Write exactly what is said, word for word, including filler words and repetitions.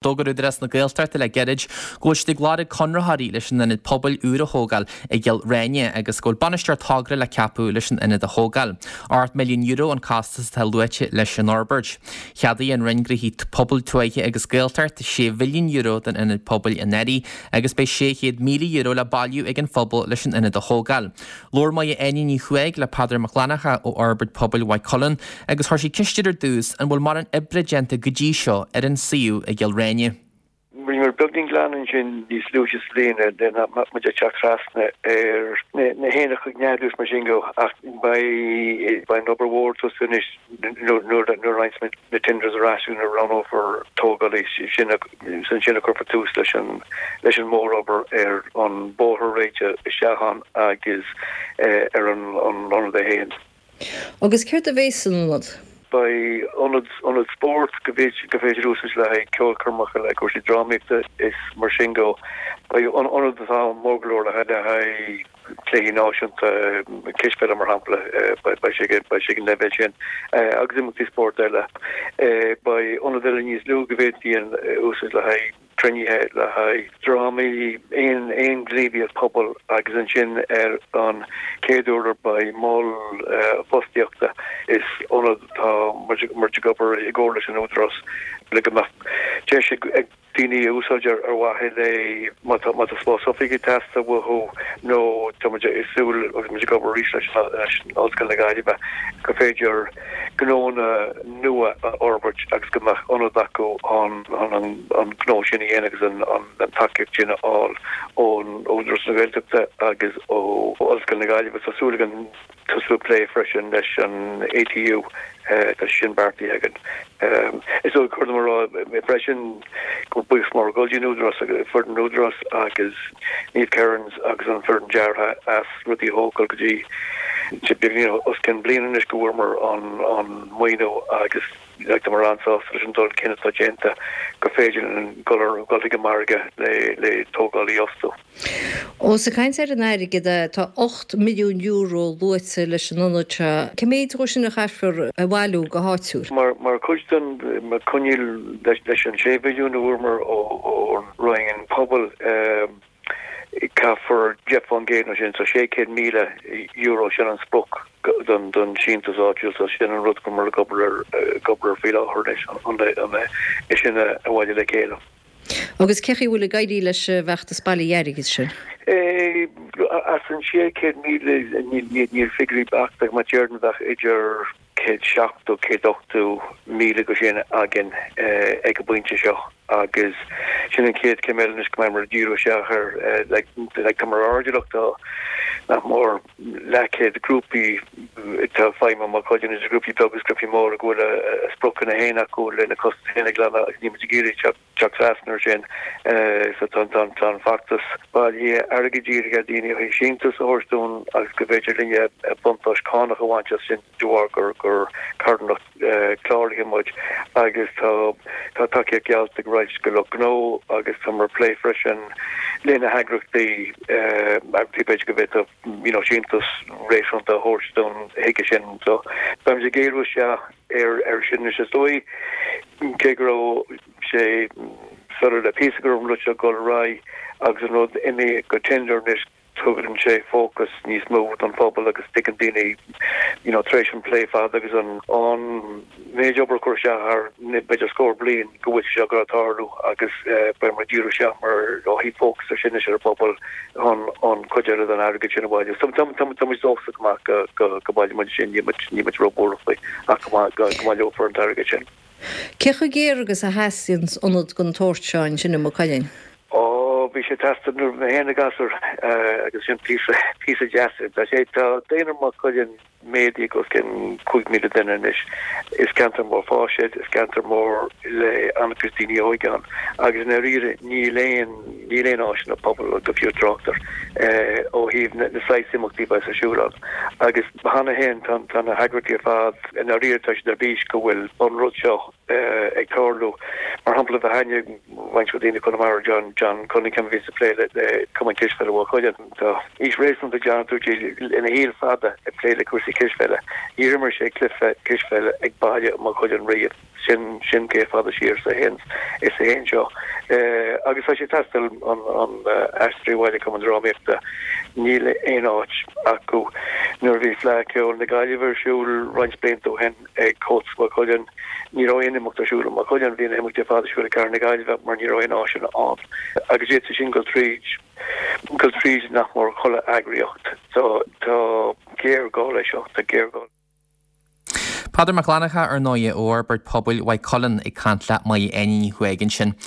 D'fhógair Údarás na Gaeltachta le gairid go bhfuil siad ag lorg conraitheoirí leis an ionad pobail úr a thógáil i gCill Réine agus go bhfuil bainisteoir togra le ceapadh leis an ionad a thógáil. Ocht milliún euro an costas atá luaite leis an fhorbairt. Cheadaigh an Roinn Gnóthaí Pobail Tuaithe agus Gaeltachta sé mhilliún euro don ionad pobail anuraidh agus beidh sé chéad míle euro le bailiú ag an phobal leis an ionad a thógáil. Labhair Máire Áine Ní Chuaig le Peadar Mac Fhlannchadha ó Fhorbairt Pobail Mhaigh Cuilinn agus chuir sí ceist air ar dtús an bhfuil mórán oibre déanta go dtí seo ar an suíomh i gCill Réine. Rinneamar beagáinín glanadh ansin níos luaithe sa bhliain nach mbeadh muid ag teacht trasna ar na héanacha ag neadú is mar sin de ach beidh an obair mhór ag tosú anois nuair a fhaigheanns muid na tenders ar ais nuair a roghnófar tógálaí sin ansin a chuirfear tús leis an leis an mórobair ar an bóthar a réiteach isteach ann agus ar an ionad é féin. Agus céard a bheas san ionad? Beidh ionad ionad spóirt go bhféidir go féidir úsáid le haghaidh ceolchoirmeacha le cúrsaí drámaíochta is mar sin de. Beidh ionad atá mór go leor le haghaidh cluichí náisiúnta cispheile mar shampla beidh sé beidh sé ag an leibhéal sin agus imeachtaí spóirt eile. Beidh ionad eile níos lú go bhféadfaí úsáid le haghaidh cruinnithe le haghaidh drámaí aon aon ghníomhaíocht pobail agus ansin ar an chéad urlár beidh mol fostaíochta is ionad tá muid ag obair i gcomhar leis an Údarás le go mbeadh deis ag daoine a úsáid ar ar mhaithe le má tá má tá spás oifige ag teastáil uathu nó tá muid ag súil agus muid ag obair arís leis leis Ollscoil na Gaillimhe go féidir gnónna nua a fhorbairt agus go mbeadh ionad acu chun an gnó sin a dhéanamh agus an tacaíocht sin a fháil ón Údarás na Gaeltachta agus ó Ollscoil na Gaillimhe. Tá súil againn tosú ag plé freisin leis an ATU tá sin beartaithe againn. Is dóigh chóir dom a rá freisin go buíochas mór ag dul don Údarás agus foireann an Údarás agus Niamh Kearns agus an foireann deartha as rudaí a thógáil go dtí beagnach os cionn bliain anois go bhfuaireamar an an maoiniú agus like tá muid an-sásta leis an dul chun cinn atá déanta go féidir linn dul ar dul chuig an margadh le le tógálaí a fhostú. Ós ag caint ar an airgead tá ocht milliún euro luaite leis an ionad seo. Cé mhéad de sin a chaithfear a bhailiú go háitiúil? Mar mar chuid den mar choinníoll leis leis an sé mhilliún a fuaireamar ó ón Roinn Pobail caithfear deich faoin gcéad nó sin, so sé chéad míle euro sin an sprioc don don síntiús áitiúil, so sin an rud go bhfuil muid ag obair ar ag obair ar faoi láthair anois an an é sin a bhailiú le chéile. Agus cé chaoi bhfuil ag éirí leis an bhfeachtas bailithe airgid sin? As an sé chéad míle níl figiúirí beachta ach déarfainn bheadh idir céad seachtó, céad ochtó míle de sin againn ag an bpointe seo agus sin an chéad chéim eile anois go mbeidh muid ag díriú isteach ar like like tá muid airdeallach tá nach mór leathchéad grúpaí atá ag feidhmiú i Maigh Cuilinn idir grúpaí beaga agus grúpaí móra go bhfuil a spriocanna féin acu lena costais féin a ghlanadh agus níl muid ag iarraidh teacht teacht trasna ar sin so tá tá an feachtas bailithe airgid dírithe ar daoine a thabhairt síntiús a thabhairt dúinn agus go bhféidir linne buntáiste cánach a bhaint as sin de bharr gur gur carthanacht cláraithe muid agus tá tá tacaíocht geallta ag roinnt de lucht gnó agus tá muid ag plé freisin le na heagraíochtaí eagraíochtaí b'fhéidir go bhféadfadh you know síntiús réasúnta a thabhairt dúinn chuige sin so beimid ag géarú isteach ar ar sin anois is dóigh cé go raibh sé soiléir le píosa go raibh an rud seo ag dul ar aghaidh agus an rud imithe go tender anois tugann sé fócas níos mó don phobal agus tuigeann daoine you know tar éis an plé fada agus an an méid obair a cuireadh isteach thar b'fhéidir scór bliain go bhfuil sé seo ag dul tarlú agus beidh muid ag díriú isteach mar ó thaobh fócas ar sin anois ar an bpobal chun an chuid eile den airgead sin a bhailiú. So tá tá tá muid dóchasach go maith go go go baileoidh muid sin níl muid níl muid róbhuartha faoi ach go go go mbaileofar an t-airgead sin. Cé chomh géar agus a theastaíonn ionad den tsórt seo ansin i Maigh Cuilinn? Ó bhí sé ag teastáil nuair a bhí mé féin ina ghasúr agus sin píosa píosa deas. Tá sé tá daonra Mhaigh Cuilinn méadaithe os cionn cúig míle duine anois. Is ceantar mór fáis é, is ceantar mór le an-chuid daoine óige ann agus i ndáiríre níl aon níl aon áiseanna pobail go fiú trácht air ó thaobh na na saghas imeachtaí a bheas ar siúl ann. Agus cheana féin tá tá na heagraíochtaí ar fad i ndáiríre tá siad ar bís go bhfuil an rud seo ag tarlú. Mar shampla bheadh aithne ag roinnt daoine i gConamara John John Cunningham bhí ag plé le le Cumann Cispheile Mhaigh Cuilinn. Tá aois réasúnta John ina shaol fada ag plé le cúrsaí cispheile. Níor imir sé cluiche cispheile ag baile Maigh Cuilinn riamh. Sin sin cé fada siar is a théann is a théann seo. Agus tá sé ag teastáil an an Aisteoirí Bhaile Cumann Drámaíochta níl aon áit acu nuair a bhí Fleadh Cheoil na Gaillimhe ar siúl roinnt blianta ó shin ag Comhaltas Mhaigh Cuilinn ní raibh aon imeacht ar siúl i Maigh Cuilinn bhí na himeachtaí ar fad ar siúl i gcathair na Gaillimhe mar ní raibh aon áiseanna ann. Agus d'fhéadfadh sin dul tríd dul tríd nach mór chuile eagraíocht. So tá géarghá leis seo tá géarghá. Peadar Mac Fhlannchadha ar ndóigh ó Fhorbairt Pobail Mhaigh Cuilinn ag caint le Máire Áine Ní Chuaig ansin.